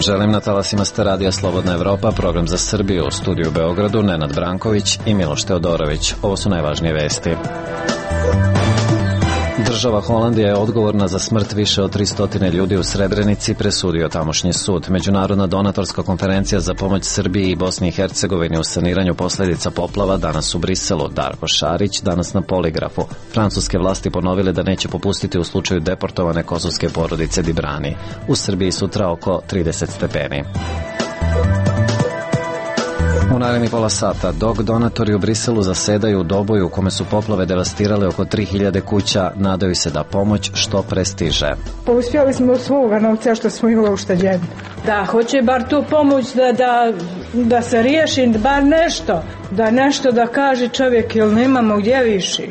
vam želim, na talasima ste Radija Slobodna Evropa, program za Srbiju, u studiju u Beogradu Nenad Branković i Miloš Teodorović. Ovo su najvažnije vesti. Država Holandija je odgovorna za smrt više od 300 ljudi u Srebrenici, presudio tamošnji sud. Međunarodna donatorska konferencija za pomoć Srbiji i Bosni i Hercegovini u saniranju posledica poplava danas u Briselu. Darko Šarić danas na poligrafu. Francuske vlasti ponovile da neće popustiti u slučaju deportovane kosovske porodice Dibrani. U Srbiji sutra oko 30 stepeni. U naredni pola sata, dok donatori u Briselu zasedaju u doboju u kome su poplave devastirale oko 3000 kuća, nadaju se da pomoć što pre stiže. Pa uspjeli smo od svoga novca što smo imali ušteđeni. Da, hoće bar tu pomoć da se riješi, bar nešto da kaže čovjek, jer nemamo gdje više.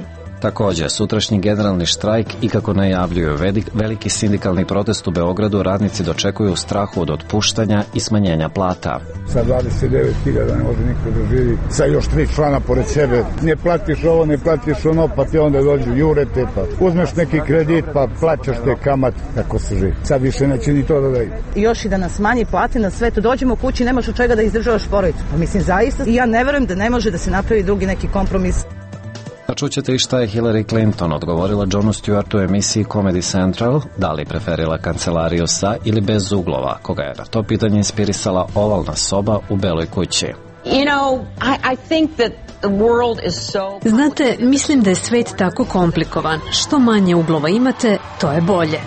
Također, sutrašnji generalni štrajk i kako najavljuju veliki sindikalni protest u Beogradu, radnici dočekuju strahu od otpuštanja i smanjenja plata. Sa 29.000 ne može niko da živi, sa još 3 člana pored sebe. Ne platiš ovo, ne platiš ono, pa ti onda dođu jurete, pa uzmeš neki kredit, pa plaćaš te kamat, kako se živi. Sad više neće ni to da daju. Još i da nas manji plate na sve, tu dođemo kući, nemaš od čega da izdržavaš porodicu. Pa mislim, zaista, ja ne verujem da ne može da se napravi drugi neki kompromis. A čućete i šta je Hillary Clinton odgovorila Johnu Stewartu u emisiji Comedy Central, da li preferila kancelariju sa ili bez uglova, koga je na to pitanje inspirisala ovalna soba u Beloj kući. Znate, mislim da je svet tako komplikovan. Što manje uglova imate, to je bolje.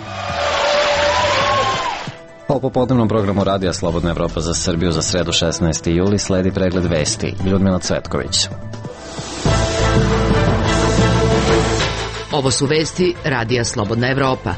Po popodnevnom programu Radija Slobodna Evropa za Srbiju za sredu 16. juli sledi pregled vesti. Ljudmila Cvetković. Ovo su vesti Radija Slobodna Evropa.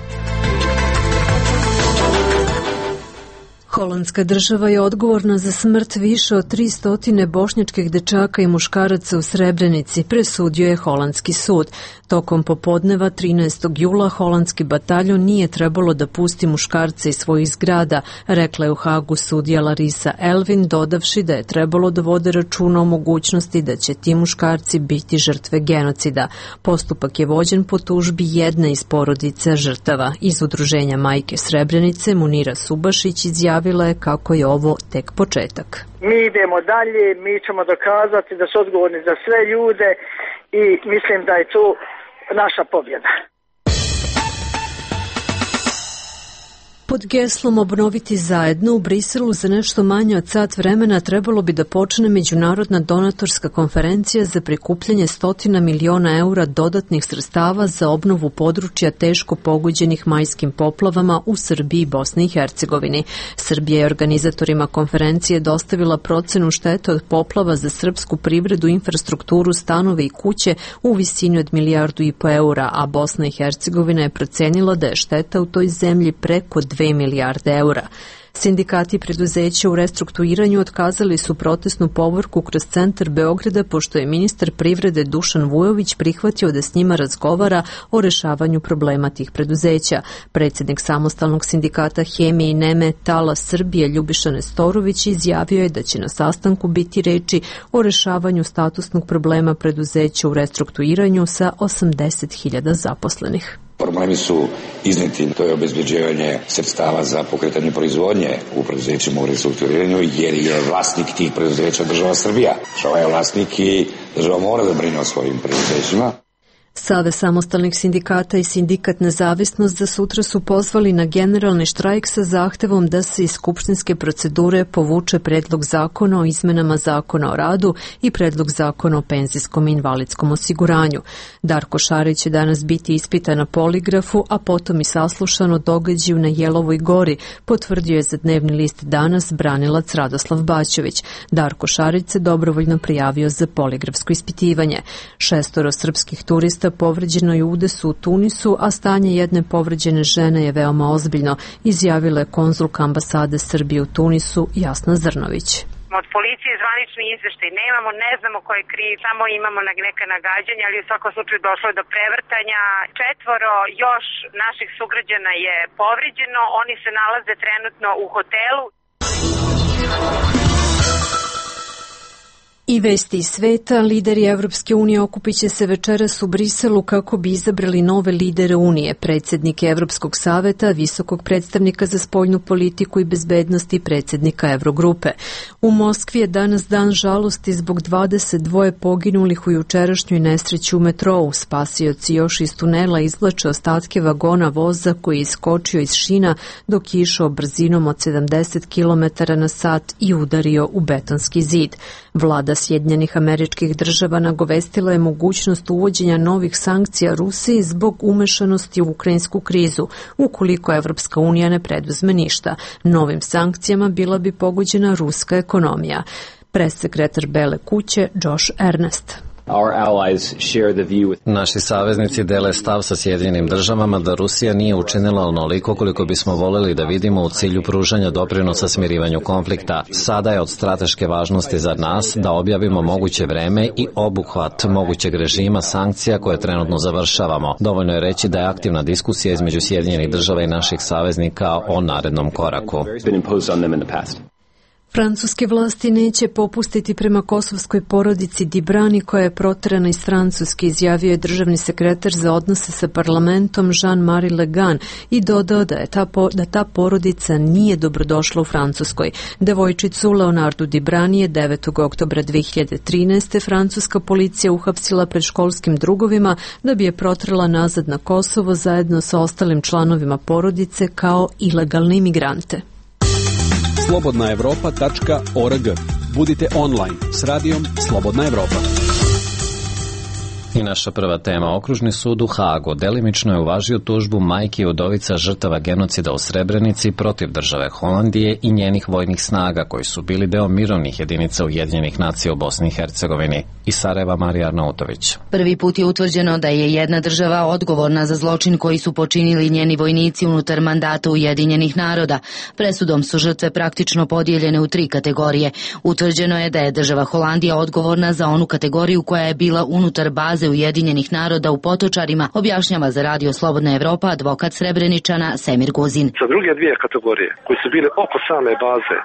Holandska država je odgovorna za smrt više od 300 bošnjačkih dečaka i muškaraca u Srebrenici, presudio je holandski sud. Tokom popodneva 13. jula holandski bataljon nije trebalo da pusti muškarce iz svojih zgrada, rekla je u Hagu sudija Larisa Elvin, dodavši da je trebalo da vode računa o mogućnosti da će ti muškarci biti žrtve genocida. Postupak je vođen po tužbi jedne iz porodice žrtava. Iz udruženja Majke Srebrenice Munira Subašić izjavila je kako je ovo tek početak. Mi idemo dalje, mi ćemo dokazati da su odgovorni za sve ljude i mislim da je to naša pobjeda. Pod geslom Obnoviti zajedno u Briselu za nešto manje od sat vremena trebalo bi da počne međunarodna donatorska konferencija za prikupljanje 100 miliona eura dodatnih sredstava za obnovu područja teško pogođenih majskim poplavama u Srbiji i Bosni i Hercegovini. Srbija je organizatorima konferencije dostavila procenu štete od poplava za srpsku privredu, infrastrukturu, stanove i kuće u visini od 1,5 milijarde eura, a Bosna i Hercegovina je procenila da je šteta u toj zemlji preko 2 milijarde eura. Sindikati preduzeća u restrukturiranju otkazali su protestnu povorku kroz centar Beograda, pošto je ministar privrede Dušan Vujović prihvatio da s njima razgovara o rešavanju problema tih preduzeća. Predsjednik samostalnog sindikata Hemije i Nemetala Srbije Ljubiša Nestorović izjavio je da će na sastanku biti reči o rešavanju statusnog problema preduzeća u restrukturiranju sa 80.000 zaposlenih. Problemi su izneti, to je obezbeđivanje sredstava za pokretanje proizvodnje u preduzećima u restrukturiranju, jer je vlasnik tih preduzeća država Srbija. Država je vlasnik i država mora da brine o svojim preduzećima. Savez samostalnih sindikata i Sindikat Nezavisnost za sutra su pozvali na generalni štrajk sa zahtevom da se iz skupštinske procedure povuče predlog zakona o izmenama zakona o radu i predlog zakona o penzijskom i invalidskom osiguranju. Darko Šarić će danas biti ispitan na poligrafu, a potom i saslušan o događaju na Jelovoj gori, potvrdio je za dnevni list Danas branilac Radoslav Baćović. Darko Šarić se dobrovoljno prijavio za poligrafsko ispitivanje. 6 srpskih turista povređeno je u udesu u Tunisu, a stanje jedne povređene žene je veoma ozbiljno, izjavila je konzulka ambasade Srbije u Tunisu Jasna Zrnović. Od policije zvanični izveštaj nemamo, ne znamo ko je kriv, samo imamo neka nagađanja, ali u svakom slučaju došlo je do prevrtanja. 4 još naših sugrađana je povređeno, oni se nalaze trenutno u hotelu. I vesti iz sveta, lideri Evropske unije okupit će se večeras u Briselu kako bi izabrali nove lidere Unije, predsjednike Evropskog saveta, visokog predstavnika za spoljnu politiku i bezbednost i predsjednika Evrogrupe. U Moskvi je danas dan žalosti zbog 22 poginulih u jučerašnjoj nesreći u metrou. Spasioci još iz tunela izvlače ostatke vagona voza koji je iskočio iz šina dok je išao brzinom od 70 km na sat i udario u betonski zid. Vlada Sjedinjenih Američkih Država nagovestila je mogućnost uvođenja novih sankcija Rusiji zbog umešanosti u ukrajinsku krizu, ukoliko Evropska unija ne preduzme ništa. Novim sankcijama bila bi pogođena ruska ekonomija. Pressekretar Bele kuće Josh Earnest. Naši saveznici dele stav sa Sjedinjenim Državama da Rusija nije učinila onoliko koliko bismo voljeli da vidimo u cilju pružanja doprinosa smirivanju konflikta. Sada je od strateške važnosti za nas da objavimo moguće vreme i obuhvat mogućeg režima sankcija koje trenutno završavamo. Dovoljno je reći da je aktivna diskusija između Sjedinjenih Država i naših saveznika o narednom koraku. Francuske vlasti neće popustiti prema kosovskoj porodici Dibrani koja je proterana iz Francuske, izjavio je državni sekretar za odnose sa parlamentom Jean-Marie Le Guen i dodao da ta porodica nije dobrodošla u Francuskoj. Devojčicu Leonardu Dibrani je 9. oktobra 2013. francuska policija uhapsila pred školskim drugovima da bi je proterala nazad na Kosovo zajedno sa ostalim članovima porodice kao ilegalne imigrante. slobodnaevropa.org. Budite online s radijom Slobodna Evropa. I naša prva tema, Okružni sud u Hagu delimično je uvažio tužbu majki i udovica žrtava genocida u Srebrenici protiv države Holandije i njenih vojnih snaga koji su bili deo mirovnih jedinica Ujedinjenih nacija u Bosni i Hercegovini. Iz Sarajeva Marija Arnautović. Prvi put je utvrđeno da je jedna država odgovorna za zločin koji su počinili njeni vojnici unutar mandata Ujedinjenih naroda. Presudom su žrtve praktično podijeljene u 3 kategorije. Utvrđeno je da je država Holandija odgovorna za onu kategoriju koja je bila unutar baze Ujedinjenih naroda u Potočarima, objašnjava za radio Slobodna Evropa advokat Srebreničana Semir Guzin. Za druge 2 kategorije koji su bile oko same baze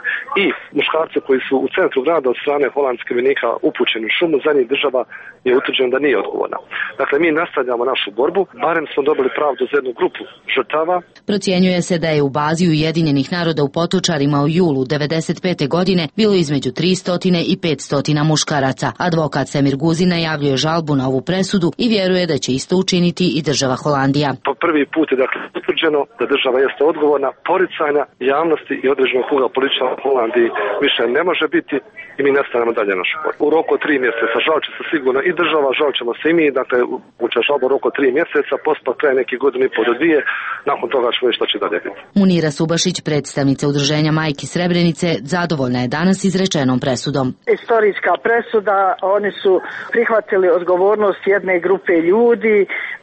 i muškarce koji su u centru grada od strane holandskih vojnika upućeni u šumu, za njih država je utvrđeno da nije odgovorna. Dakle, mi nastavljamo našu borbu, barem smo dobili pravdu za jednu grupu žrtava. Procjenjuje se da je u bazi Ujedinjenih naroda u Potočarima u julu 1995. godine bilo između 300 i 500 muškaraca. Advokat Semir Guzin najavljuje žalbu na ovu presudu i vjeruje da će isto učiniti i država Holandija. Po prvi put je dakle utvrđeno da država jeste odgovorna, poricanja javnosti i određenog kruga političara u Holandiji više ne može biti i mi nastavljamo dalje našu borbu. U roku 3 mjeseca žalit će se sigurno i država, žalit ćemo se i mi, dakle uče žalbu u roku 3 mjeseca, postupak traje neki godinu i pol do 2, nakon toga ćemo vidjeti što će dalje biti. Munira Subašić, predstavnica udruženja Majki Srebrenice, zadovoljna je danas izrečenom presudom. Istorijska presuda, oni su prihvatili odgovornost jedne grupe ljudi,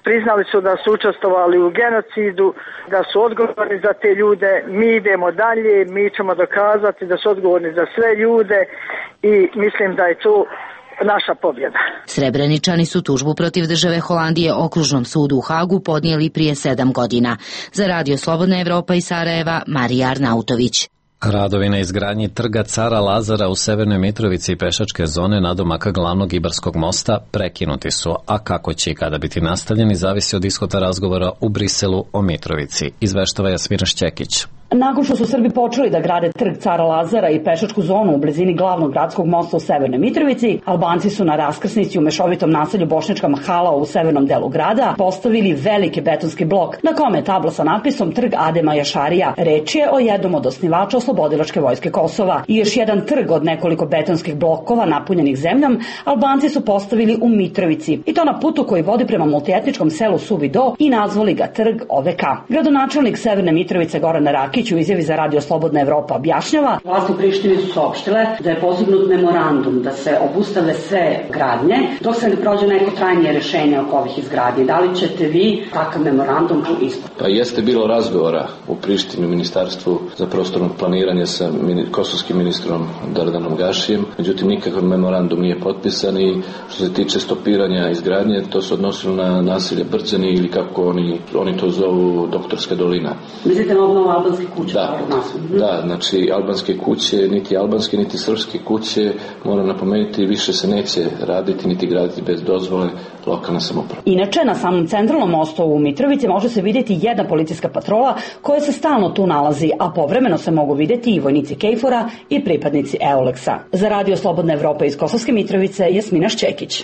priznali su da su učestvovali u genocidu, da su odgovorni za te ljude, mi idemo dalje, mi ćemo dokazati da su odgovorni za sve ljude i mislim da je to naša pobjeda. Srebreničani su tužbu protiv države Holandije Okružnom sudu u Hagu podnijeli prije 7 godina. Za radio Slobodna Evropa iz Sarajeva, Marija Arnautović. Radovi na izgradnji trga Cara Lazara u Severnoj Mitrovici i pešačke zone nadomaka glavnog Ibarskog mosta prekinuti su, a kako će i kada biti nastavljeni zavisi od ishoda razgovora u Briselu o Mitrovici, izveštava Jasmina Šćekić. Nakon što su Srbi počeli da grade trg Cara Lazara i pešačku zonu u blizini glavnog gradskog mosta u Severnoj Mitrovici, Albanci su na raskrsnici u mešovitom naselju Bošnjačka Mahala u severnom delu grada postavili veliki betonski blok na kome je tabla sa natpisom Trg Adema Jašarija. Reč je o jednom od osnivača Oslobodilačke vojske Kosova. I još jedan trg od nekoliko betonskih blokova napunjenih zemljom Albanci su postavili u Mitrovici i to na putu koji vodi prema multietničkom selu Suvi Do i nazvali ga Trg OVK. Gradonačelnik Severne Mitrovice Goran Rakić u izjavi za radio Slobodna Evropa objašnjava: Vlasti u Prištini su saopštile da je postignut memorandum da se obustave sve gradnje dok se ne prođe neko trajnije rješenje oko ovih izgradnji. Da li ćete vi takav memorandum ispuniti? Pa jeste bilo razgovora u Prištini u Ministarstvu za prostorno planiranje sa kosovskim ministrom Dardanom Gašijem, međutim nikakav memorandum nije potpisan i što se tiče stopiranja izgradnje, to se odnosilo na naselje Brđani ili kako oni to zovu Doktorska dolina. Mislite na obnovu albanskih kuća. Da, znači albanske kuće, niti albanske, niti srpske kuće, moram napomenuti, više se neće raditi, niti graditi bez dozvole lokalne samouprave. Inače, na samom centralnom mostu u Mitrovici može se vidjeti jedna policijska patrola koja se stalno tu nalazi, a povremeno se mogu vidjeti i vojnici KFOR-a i pripadnici EULEX-a. Za Radio Slobodna Evropa iz Kosovske Mitrovice, Jasmina Šćekić.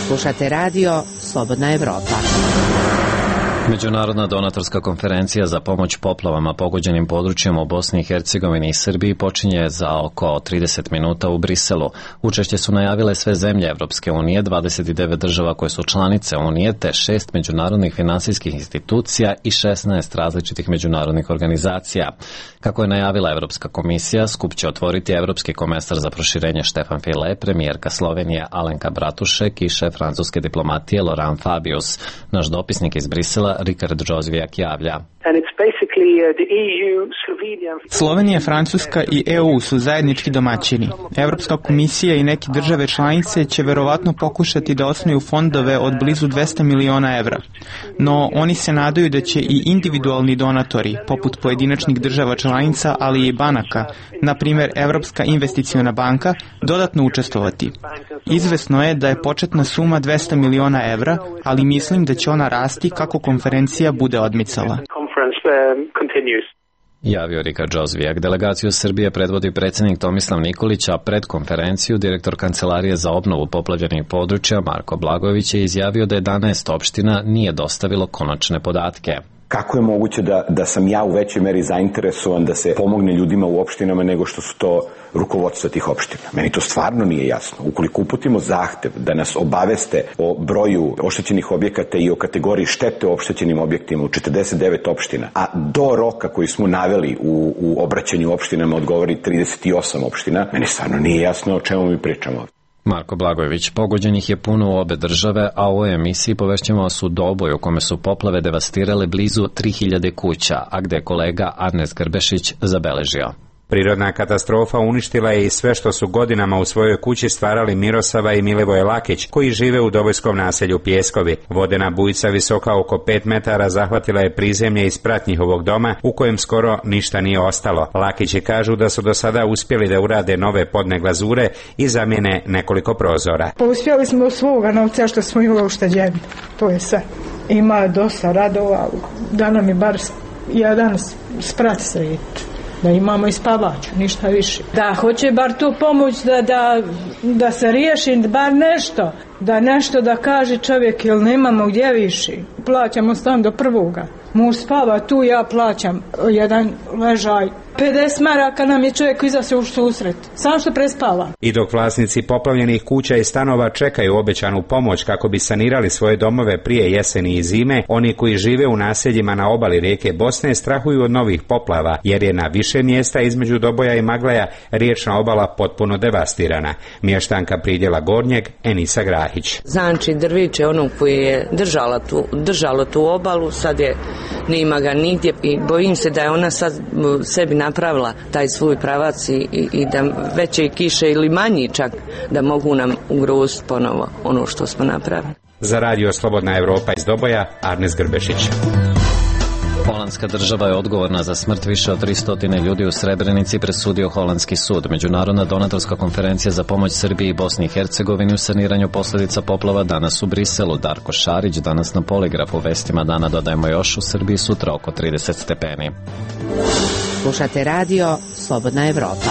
Slušate radio Slobodna Evropa. Međunarodna donatorska konferencija za pomoć poplavama pogođenim područjima u Bosni i Hercegovini i Srbiji počinje za oko 30 minuta u Briselu. Učešće su najavile sve zemlje Evropske unije, 29 država koje su članice unije, te 6 međunarodnih finansijskih institucija i 16 različitih međunarodnih organizacija. Kako je najavila Evropska komisija, skup će otvoriti Evropski komesar za proširenje Štefan File, premijerka Slovenije Alenka Bratušek i šef francuske diplomatije Laurent Fabius. Naš dopisnik iz Brisela Rikard Džozvijak javlja. Slovenija, Francuska i EU su zajednički domaćini. Evropska komisija i neke države članice će verovatno pokušati da osnuju fondove od blizu 200 miliona evra. No, oni se nadaju da će i individualni donatori, poput pojedinačnih država članica, ali i banaka, na primjer Evropska investiciona banka, dodatno učestvovati. Izvesno je da je početna suma 200 miliona evra, ali mislim da će ona rasti kako konferencija bude odmicala. Javio Rika Džozvijak. Delegaciju Srbije predvodi predsjednik Tomislav Nikolić, a pred konferenciju direktor Kancelarije za obnovu poplavljenih područja Marko Blagojević je izjavio da 11 opština nije dostavilo konačne podatke. Kako je moguće da sam ja u većoj meri zainteresovan da se pomogne ljudima u opštinama nego što su to rukovodstva tih opština? Meni to stvarno nije jasno. Ukoliko uputimo zahtev da nas obaveste o broju oštećenih objekata i o kategoriji štete u oštećenim objektima u 49 opština, a do roka koji smo naveli u obraćanju opštinama odgovori 38 opština, meni stvarno nije jasno o čemu mi pričamo. Marko Blagojević, pogođenih je puno u obe države, a u ovoj emisiji povešćemo vas u Doboj u kome su poplave devastirale blizu 3000 kuća, a gde je kolega Arnes Grbešić zabeležio. Prirodna katastrofa uništila je i sve što su godinama u svojoj kući stvarali Mirosava i Milivoje Lakić, koji žive u dobojskom naselju Pjeskovi. Vodena bujica visoka oko 5 metara zahvatila je prizemlje iz prat njihovog doma, u kojem skoro ništa nije ostalo. Lakići kažu da su do sada uspjeli da urade nove podne glazure i zamijene nekoliko prozora. Uspjeli smo svoga novca što smo imali ušteđeni. To je sve. Ima dosta radova, da nam je bar jedan sprat srediti. Da imamo i spavaču, ništa više. Da, hoće bar tu pomoć da se riješi bar nešto. Da nešto da kaže čovjek, jer nemamo gdje više. Plaćamo stan do prvoga. Muž spava tu, ja plaćam jedan ležaj. 50 maraka nam je čovjek izašao u susret. Samo što prespava. I dok vlasnici poplavljenih kuća i stanova čekaju obećanu pomoć kako bi sanirali svoje domove prije jeseni i zime, oni koji žive u naseljima na obali rijeke Bosne strahuju od novih poplava, jer je na više mjesta između Doboja i Maglaja riječna obala potpuno devastirana. Mještanka Pridjela Gornjeg, Enisa Grahić. Znači drviće ono koji je držalo tu obalu, sad je nima ga nigdje i bojim se da je ona sad sebi napravila taj svoj pravac i da veće kiše ili manji čak da mogu nam ugroziti ponovo ono što smo napravili. Za Radio Slobodna Evropa iz Doboja, Arnes Grbešić. Holandska država je odgovorna za smrt više od 300 ljudi u Srebrenici, presudio holandski sud. Međunarodna donatorska konferencija za pomoć Srbiji i Bosni i Hercegovini u saniranju posljedica poplava danas u Briselu. Darko Šarić danas na Poligrafu. Vestima dana dodajemo još, u Srbiji sutra oko 30 stepeni. Slušate radio Slobodna Evropa.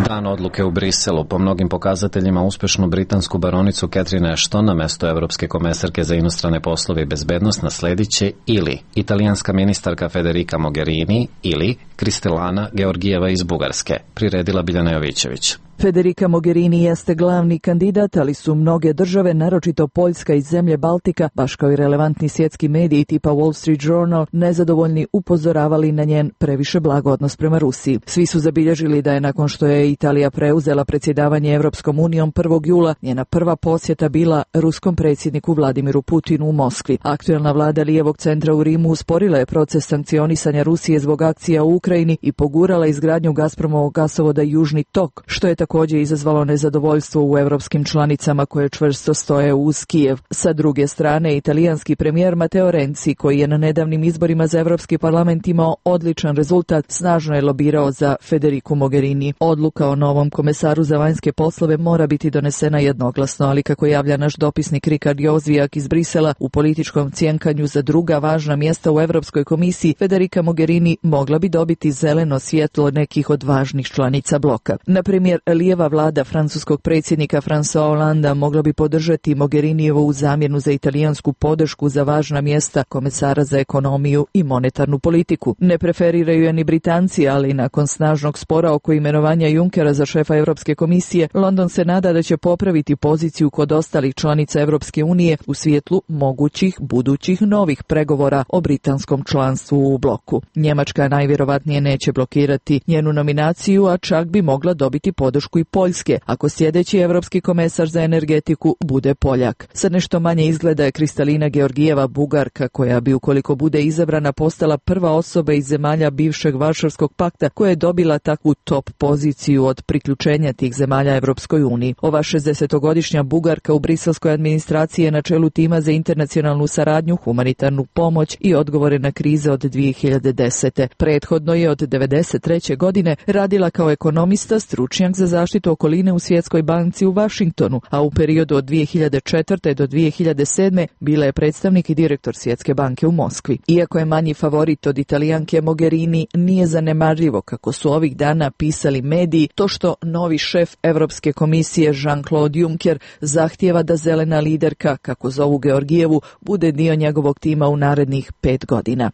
Dan odluke u Briselu. Po mnogim pokazateljima uspješnu britansku baronicu Catherine Ashton na mesto evropske komesarke za inostrane poslove i bezbednost nasledit će ili italijanska ministarka Federica Mogherini ili Kristalina Georgijeva iz Bugarske, priredila Biljana Jovićević. Federica Mogherini jeste glavni kandidat, ali su mnoge države, naročito Poljska i zemlje Baltika, baš kao i relevantni svjetski mediji tipa Wall Street Journal, nezadovoljni upozoravali na njen previše blag odnos prema Rusiji. Svi su zabilježili da je nakon što je Italija preuzela predsjedavanje Evropskom unijom 1. jula, njena prva posjeta bila ruskom predsjedniku Vladimiru Putinu u Moskvi. Aktuelna vlada lijevog centra u Rimu usporila je proces sankcionisanja Rusije zbog akcija u Ukrajini i pogurala izgradnju Gazpromovog gasovoda Južni tok, što je također također izazvalo nezadovoljstvo u evropskim članicama koje čvrsto stoje uz Kijev. Sa druge strane, italijanski premijer Matteo Renzi, koji je na nedavnim izborima za Evropski parlament imao odličan rezultat, snažno je lobirao za Federicu Mogherini. Odluka o novom komesaru za vanjske poslove mora biti donesena jednoglasno, ali kako javlja naš dopisnik Rikard Jozvijak iz Brisela, u političkom cjenkanju za druga važna mjesta u Evropskoj komisiji, Federica Mogherini mogla bi dobiti zeleno svjetlo nekih od važnih članica bloka. Na primjer, lijeva vlada francuskog predsjednika François Hollanda mogla bi podržati Mogherinijevu zamjenu za italijansku podršku za važna mjesta komesara za ekonomiju i monetarnu politiku. Ne preferiraju je ni Britanci, ali nakon snažnog spora oko imenovanja Junckera za šefa Europske komisije, London se nada da će popraviti poziciju kod ostalih članica Europske unije u svijetlu mogućih budućih novih pregovora o britanskom članstvu u bloku. Njemačka najvjerovatnije neće blokirati njenu nominaciju, a čak bi mogla dobiti podršku i Poljske, ako sljedeći europski komesar za energetiku bude Poljak. Sad nešto manje izgleda je Kristalina Georgijeva, Bugarka, koja bi, ukoliko bude izabrana, postala prva osoba iz zemalja bivšeg Varšavskog pakta koja je dobila takvu top poziciju od priključenja tih zemalja Evropskoj uniji. Ova 60-godišnja Bugarka u briselskoj administraciji je na čelu tima za internacionalnu saradnju, humanitarnu pomoć i odgovore na krize od 2010. Prethodno je od 1993. godine radila kao ekonomista, stručnjak za zaštitu okoline u Svjetskoj banci u Washingtonu, a u periodu od 2004. do 2007. bila je predstavnik i direktor Svjetske banke u Moskvi. Iako je manji favorit od Italijanke, Mogherini nije zanemarljivo, kako su ovih dana pisali mediji, to što novi šef Europske komisije Jean-Claude Juncker zahtijeva da zelena liderka, kako zovu Georgijevu, bude dio njegovog tima u narednih 5 godina.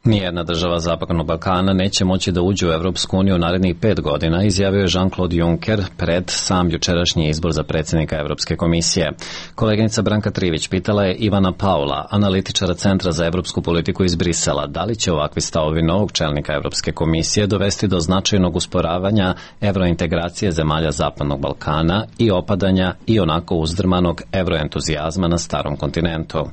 Nijedna država Zapadnog Balkana neće moći da uđe u Evropsku uniju narednih 5 godina, izjavio je Jean-Claude Juncker pred sam jučerašnji izbor za predsjednika Evropske komisije. Koleginica Branka Trivić pitala je Ivana Paula, analitičara Centra za evropsku politiku iz Brisela, da li će ovakvi stavovi novog čelnika Evropske komisije dovesti do značajnog usporavanja evrointegracije zemalja Zapadnog Balkana i opadanja i onako uzdrmanog evroentuzijazma na starom kontinentu.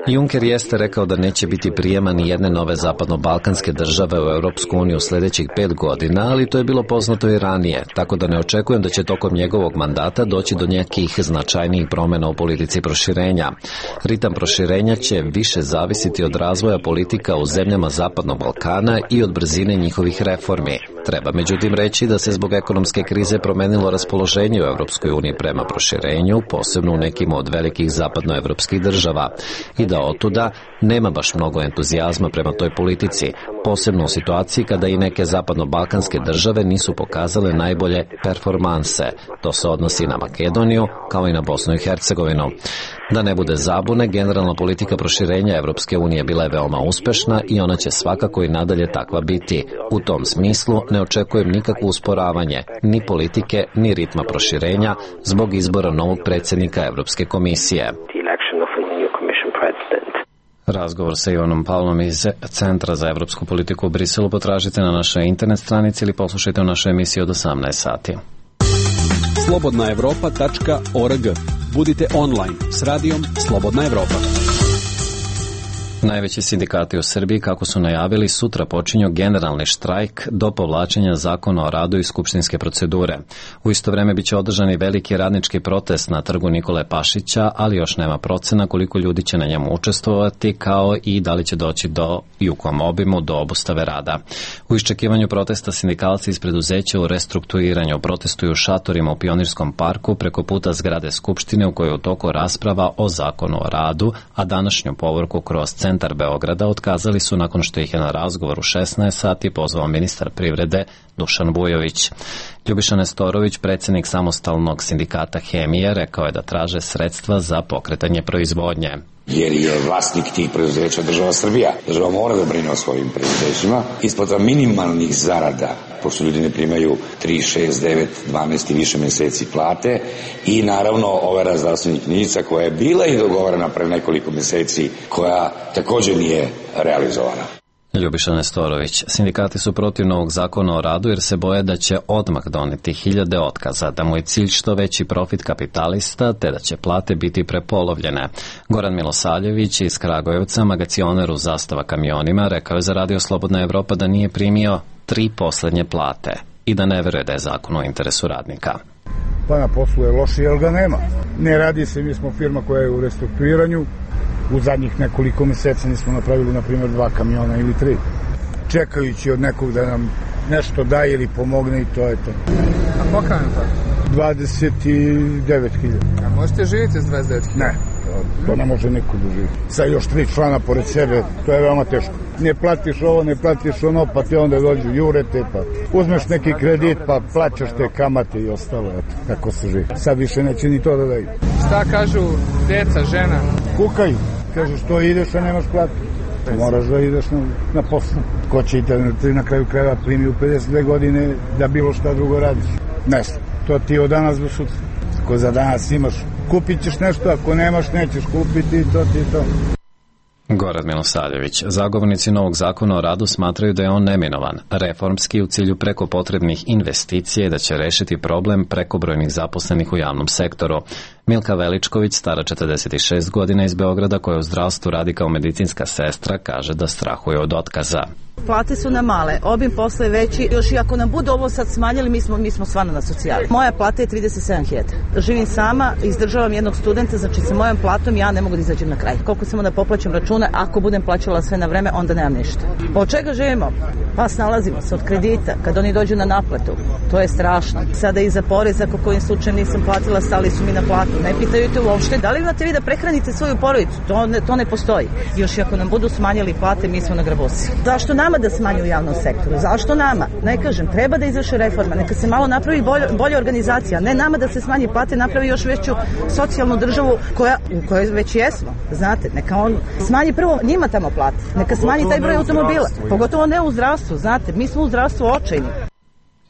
Juncker jeste rekao da neće biti prijema ni jedne nove zapadno-balkanske države u Europsku uniju sljedećih 5 godina, ali to je bilo poznato i ranije, tako da ne očekujem da će tokom njegovog mandata doći do nekih značajnijih promjena u politici proširenja. Ritam proširenja će više zavisiti od razvoja politika u zemljama Zapadnog Balkana i od brzine njihovih reformi. Treba međutim reći da se zbog ekonomske krize promenilo raspoloženje u Europskoj uniji prema proširenju, posebno u nekim od velikih zapadnoevropskih država, i da otuda nema baš mnogo entuzijazma prema toj politici, posebno u situaciji kada i neke zapadno-balkanske države nisu pokazale najbolje performanse. To se odnosi na Makedoniju kao i na Bosnu i Hercegovinu. Da ne bude zabune, generalna politika proširenja Evropske unije bila je veoma uspešna i ona će svakako i nadalje takva biti. U tom smislu ne očekujem nikakvo usporavanje, ni politike, ni ritma proširenja zbog izbora novog predsjednika Evropske komisije. Razgovor sa Ivanom Paulom iz Centra za evropsku politiku u Briselu potražite na našoj internet stranici ili poslušajte u našoj emisiji od 18 sati. slobodnaevropa.org. Budite online s radijom Slobodna Evropa. Najveći sindikati u Srbiji, kako su najavili, sutra počinju generalni štrajk do povlačenja zakona o radu i skupštinske procedure. U isto vrijeme biće održani veliki radnički protest na trgu Nikole Pašića, ali još nema procena koliko ljudi će na njemu učestvovati, kao i da li će doći i u kom obimu do obustave rada. U iščekivanju protesta sindikalci iz preduzeća u restrukturiranju protestuju šatorima u Pionirskom parku preko puta zgrade Skupštine u kojoj je u toku rasprava o zakonu o radu, a današnju povorku kroz centar Beograda otkazali su nakon što ih je na razgovor u 16 sati pozvao ministar privrede Dušan Vujović. Ljubiša Nestorović, predsjednik samostalnog sindikata Hemije, rekao je da traže sredstva za pokretanje proizvodnje. Jer je vlasnik tih preduzeća država Srbija. Država mora da brine o svojim preduzećima. Isplata minimalnih zarada, pošto ljudi ne primaju 3, 6, 9, 12 i više mjeseci plate, i naravno overa zdravstvenih knjižica koja je bila i dogovorena pre nekoliko mjeseci, koja također nije realizovana. Ljubiša Nestorović. Sindikati su protiv novog zakona o radu jer se boje da će odmah doneti hiljade otkaza, da mu je cilj što veći profit kapitalista, te da će plate biti prepolovljene. Goran Milosavljević iz Kragujevca, magacioner u Zastava kamionima, rekao je za Radio Slobodna Evropa da nije primio 3 poslednje plate i da ne veruje da je zakon u interesu radnika. Pa na poslu je loše, jer ga nema. Ne radi se, mi smo firma koja je u restrukturiranju. U zadnjih nekoliko meseci nismo napravili, na primjer, 2 kamiona ili 3. Čekajući od nekog da nam nešto daje ili pomogne i to je to. A koliko vam je to? 29.000. A možete živjeti s 29.000? Ne, to ne može niko da živi. Sa još 3 člana pored sebe, to je veoma teško. Ne platiš ovo, ne platiš ono, pa ti onda dođu jurete, pa uzmeš neki kredit, pa plaćaš te kamate i ostalo, eto, kako se živi. Sad više neće ni to da daju. Šta kažu deca, žena? Kukaju, kažu što ideš, a nemaš platu. Moraš da ideš na poslu. Ko će i te na kraju krajeva primi u 52 godine da bilo šta drugo radiš? Ne znam, to ti od danas do sutra. Ako za danas imaš, kupit ćeš nešto, ako nemaš, nećeš kupiti i to ti je to. Goran Milosavljević. Zagovornici novog zakona o radu smatraju da je on neminovan, reformski u cilju preko potrebnih investicija i da će rešiti problem prekobrojnih zaposlenih u javnom sektoru. Milka Veličković, stara 46 godina iz Beograda, koja u zdravstvu radi kao medicinska sestra, kaže da strahuje od otkaza. Plate su nam male, obim posla je veći, još i ako nam budu ovo sad smanjili, mi smo stvarno na socijali. Moja plata je 37.000. Živim sama, izdržavam jednog studenta, znači sa mojom platom ja ne mogu da izađem na kraj. Koliko samo da poplaćam račune, ako budem plaćala sve na vreme, onda nemam ništa. Od čega živimo? Pa snalazimo se od kredita, kad oni dođu na naplatu. To je strašno. Sada i za porez, ako kojim slučajem nisam platila, stali su mi na platu. Ne pitaju te uopšte, da li imate vi da prehranite svoju porodicu? To ne postoji. Još i ako nam budu smanjili plate, mi smo na grabusi. Zašto nama da smanju u javnom sektoru? Zašto nama? Ne kažem, treba da izvrši reforma, neka se malo napravi bolja organizacija, ne nama da se smanji plate, napravi još veću socijalnu državu u kojoj već jesmo, znate, neka on smanji prvo njima tamo plate, neka smanji taj broj automobila, pogotovo ne u zdravstvu, znate, mi smo u zdravstvu očajni.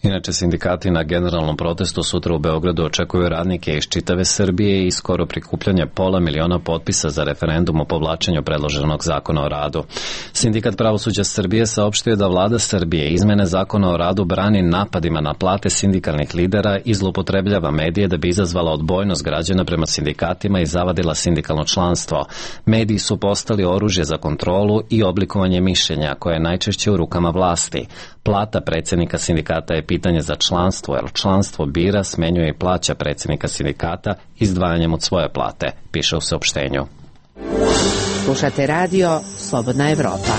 Inače, sindikati na generalnom protestu sutra u Beogradu očekuju radnike iz čitave Srbije i skoro prikupljanje 500.000 potpisa za referendum o povlačenju predloženog zakona o radu. Sindikat pravosuđa Srbije saopštio da vlada Srbije izmene zakona o radu brani napadima na plate sindikalnih lidera i zloupotrebljava medije da bi izazvala odbojnost građana prema sindikatima i zavadila sindikalno članstvo. Mediji su postali oružje za kontrolu i oblikovanje mišljenja koje je najčešće u rukama vlasti. Plata predsjednika sindikata je pitanje za članstvo, jer članstvo bira, smenjuje i plaća predsjednika sindikata izdvajanjem od svoje plate, piše u saopštenju. Slušate radio Slobodna Evropa.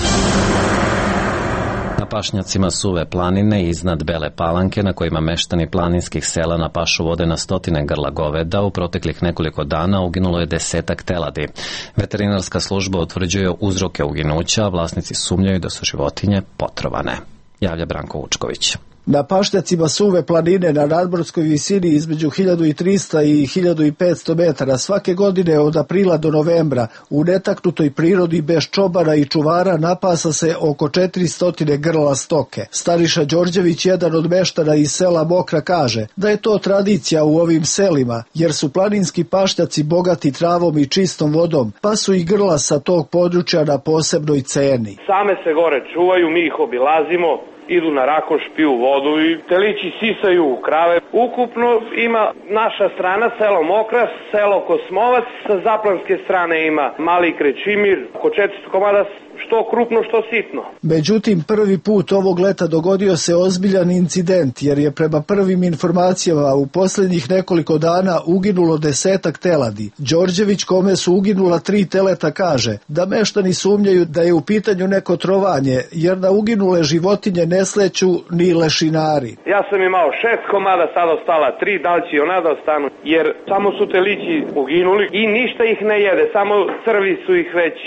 Na pašnjacima Suve planine iznad Bele Palanke, na kojima meštani planinskih sela na pašu vode na stotine grla goveda, u proteklih nekoliko dana uginulo je 10 teladi. Veterinarska služba utvrđuje uzroke uginuća, a vlasnici sumnjaju da su životinje potrovane. Javlja Branko Vučković. Na pašnjacima Suve planine na nadmorskoj visini između 1300 i 1500 metara svake godine od aprila do novembra u netaknutoj prirodi bez čobara i čuvara napasa se oko 400 grla stoke. Stariša Đorđević, jedan od meštana iz sela Mokra, kaže da je to tradicija u ovim selima, jer su planinski pašnjaci bogati travom i čistom vodom, pa su i grla sa tog područja na posebnoj ceni. Same se gore čuvaju, mi ih obilazimo, idu na rakoš, piju vodu i telići sisaju u krave. Ukupno ima naša strana selo Mokra, selo Kosmovac, sa zaplanske strane ima Mali Krećimir, oko 400 komada, što krupno, što sitno. Međutim, prvi put ovog leta dogodio se ozbiljan incident, jer je prema prvim informacijama u posljednjih nekoliko dana uginulo 10 teladi. Đorđević, kome su uginula 3 teleta, kaže da meštani sumnjaju da je u pitanju neko trovanje, jer na uginule životinje ne sleću ni lešinari. Ja sam imao 6 komada, sad ostala 3, da li će ona da ostanu, jer samo su telići uginuli i ništa ih ne jede, samo crvi su ih već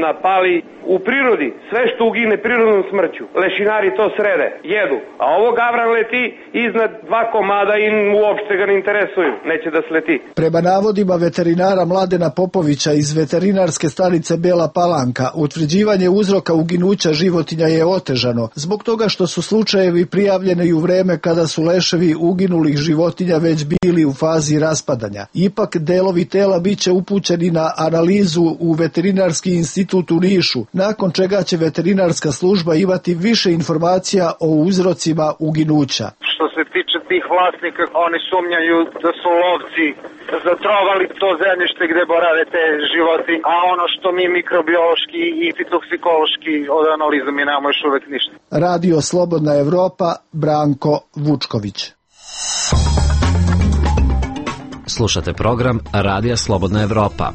napali. U prirodi, sve što ugine prirodnom smrću, lešinari to srede, jedu, a ovo gavran leti iznad 2 komada i uopšte ga ne interesuju, neće da sleti. Prema navodima veterinara Mladena Popovića iz veterinarske stanice Bela Palanka, utvrđivanje uzroka uginuća životinja je otežano, zbog toga što su slučajevi prijavljeni u vreme kada su leševi uginulih životinja već bili u fazi raspadanja. Ipak delovi tela biće upućeni na analizu u Veterinarski institut u Nišu, nakon čega će veterinarska služba imati više informacija o uzrocima uginuća. Što se tiče tih vlasnika. Oni sumnjaju da su lovci zatrovali to zemljište gde borave te životi, a ono što mi mikrobiološki i fitoksikološki od analiza mi nemamo još uvek ništa. Radio Slobodna Evropa, Branko Vučković. Slušate program Radija Slobodna Evropa.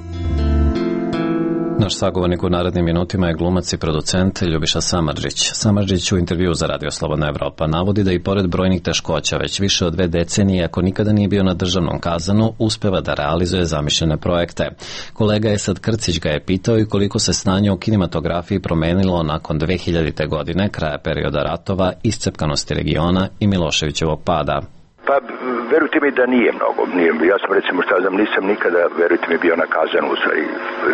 Naš sagovornik u narednim minutima je glumac i producent Ljubiša Samardžić. Samardžić u intervju za Radio Slobodna Evropa navodi da i pored brojnih teškoća već više od 2 decenije, ako nikada nije bio na državnom kazanu, uspeva da realizuje zamišljene projekte. Kolega Esad Krcić ga je pitao i koliko se stanje u kinematografiji promenilo nakon 2000. godine, kraja perioda ratova, iscepkanosti regiona i Miloševićevog pada. Pa, verujte mi da nije mnogo. Ja sam, recimo, nisam nikada, verujte mi, bio na kazanu u stvari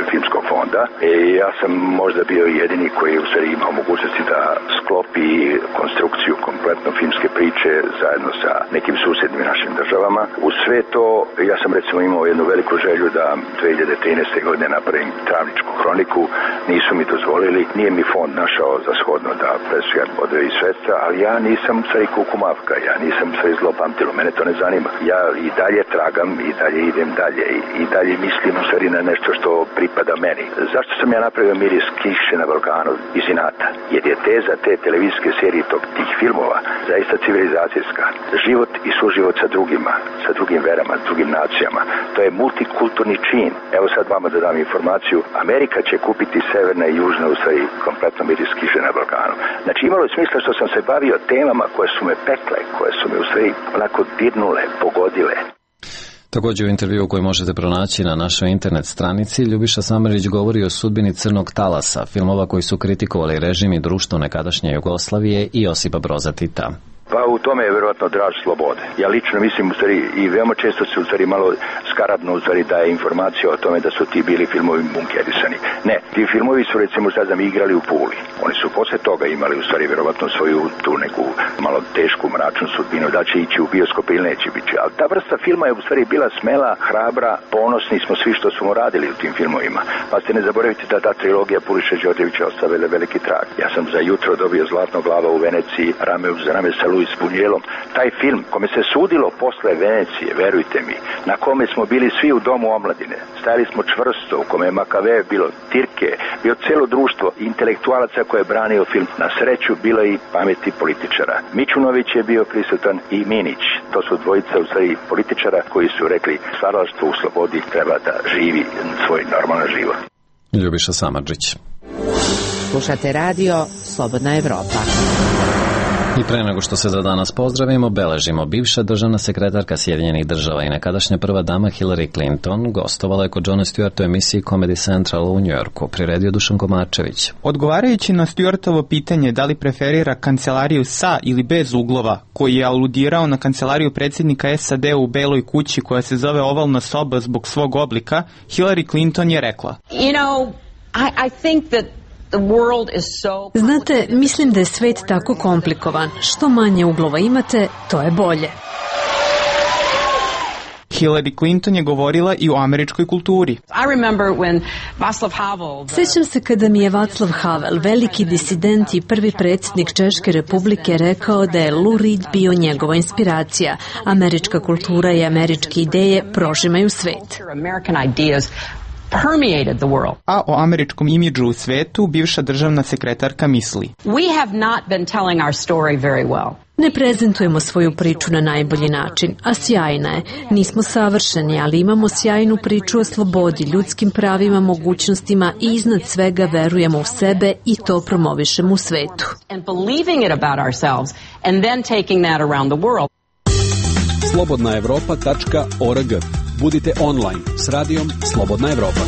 filmskog fonda. Ja sam možda bio jedini koji u stvari imao mogućnosti da sklopi konstrukciju kompletno filmske priče zajedno sa nekim susednim našim državama. U sve to, ja sam, recimo, imao jednu veliku želju da 2013. godine napravim Travničku hroniku. Nisu mi dozvolili. Nije mi fond našao za shodno da presujem odrevi sredstva, ali ja nisam u stvari kukumavka. Ja nisam u stvari zlopamtilo. Mene to ne zanima. Ja i dalje tragam, i dalje idem dalje, i dalje mislim u stvari na nešto što pripada meni. Zašto sam ja napravio Miris kiše na Balkanu iz inata? Jer je teza te televizijske serije tih filmova zaista civilizacijska. Život i suživot sa drugima, sa drugim verama, s drugim nacijama. To je multikulturni čin. Evo sad vama da dam informaciju. Amerika će kupiti severna i južna u stvari kompletno Miris kiše na Balkanu. Znači imalo je smisla što sam se bavio temama koje su me pekle, koje su me u stvari onako dirnule, pogodile. Također u intervju koji možete pronaći na našoj internet stranici, Ljubiša Samardžić govori o sudbini Crnog talasa, filmova koji su kritikovali režim i društvo nekadašnje Jugoslavije i Josipa Broza Tita. Pa u tome je verovatno draž slobode. Ja lično mislim u stvari i veoma često se u stvari malo skaradno u stvari daje informacija o tome da su ti bili filmovi bunkerisani. Ne, ti filmovi su recimo sad nam igrali u Puli. Oni su posle toga imali u stvari verovatno svoju tu neku malo tešku mračnu sudbinu, da će ići u bioskop ili neće biti. Ali ta vrsta filma je u stvari bila smela, hrabra, ponosni smo svi što smo radili u tim filmovima. Pa ste ne zaboravite da ta trilogija Puliša Đorđevića ostavila veliki trag. Ja sam za jutro dobio Zlatno glava u Veneciji, rame uz rame sa Luis Buñuelom. Taj film kome se sudilo posle Venecije, verujte mi, na kome smo bili svi u domu omladine, stajali smo čvrsto, u kome je Makave bilo Tirke, bio celo društvo intelektualaca koje je branio film. Na sreću bilo i pameti političara. Mićunović je bio prisutan i Minić. To su dvojica u stvari političara koji su rekli stvaralaštvo u slobodi treba da živi svoj normalan život. Ljubiša Samardžić. Slušate radio Slobodna Evropa. I pre nego što se za danas pozdravimo, beležimo. Bivša državna sekretarka Sjedinjenih država i nekadašnja prva dama Hillary Clinton gostovala je kod Johna Stewarta u emisiji Comedy Central u Njujorku, priredio Dušan Komarčević. Odgovarajući na Stewartovo pitanje da li preferira kancelariju sa ili bez uglova, koji je aludirao na kancelariju predsjednika SAD u Beloj kući koja se zove ovalna soba zbog svog oblika, Hillary Clinton je rekla: I think that znate, mislim da je svet tako komplikovan. Što manje uglova imate, to je bolje. Hillary Clinton je govorila i o američkoj kulturi. Sjećam se kada mi je Václav Havel, veliki disident i prvi predsjednik Češke republike, rekao da je Lou Reed bio njegova inspiracija. Američka kultura i američke ideje prožimaju svet. A o američkom imidžu u svetu bivša državna sekretarka misli: Ne prezentujemo svoju priču na najbolji način, a sjajna je. Nismo savršeni, ali imamo sjajnu priču o slobodi, ljudskim pravima, mogućnostima i iznad svega verujemo u sebe i to promovišemo u svetu. slobodnaevropa.org. Budite online s radijom Slobodna Evropa.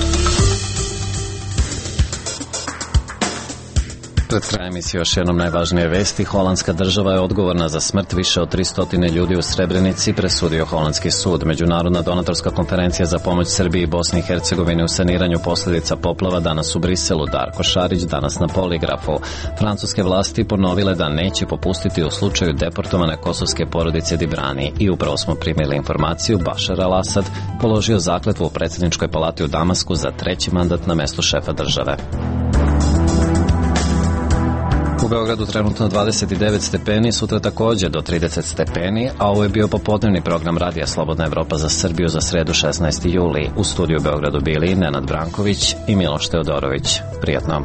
Pred krajem emisije još jednom najvažnije vesti. Holandska država je odgovorna za smrt više od 300 ljudi u Srebrenici, presudio holandski sud. Međunarodna donatorska konferencija za pomoć Srbiji i Bosni i Hercegovini u saniranju posljedica poplava danas u Briselu. Darko Šarić danas na poligrafu. Francuske vlasti ponovile da neće popustiti u slučaju deportovane kosovske porodice Dibrani. I upravo smo primili informaciju, Bašar al-Asad položio zakletvu u predsjedničkoj palati u Damasku za 3. mandat na mestu šefa države. U Beogradu trenutno 29 stepeni, sutra takođe do 30 stepeni, a ovo je bio popodnevni program Radija Slobodna Evropa za Srbiju za sredu 16. juli. U studiju u Beogradu bili Nenad Branković i Miloš Teodorović. Prijatno.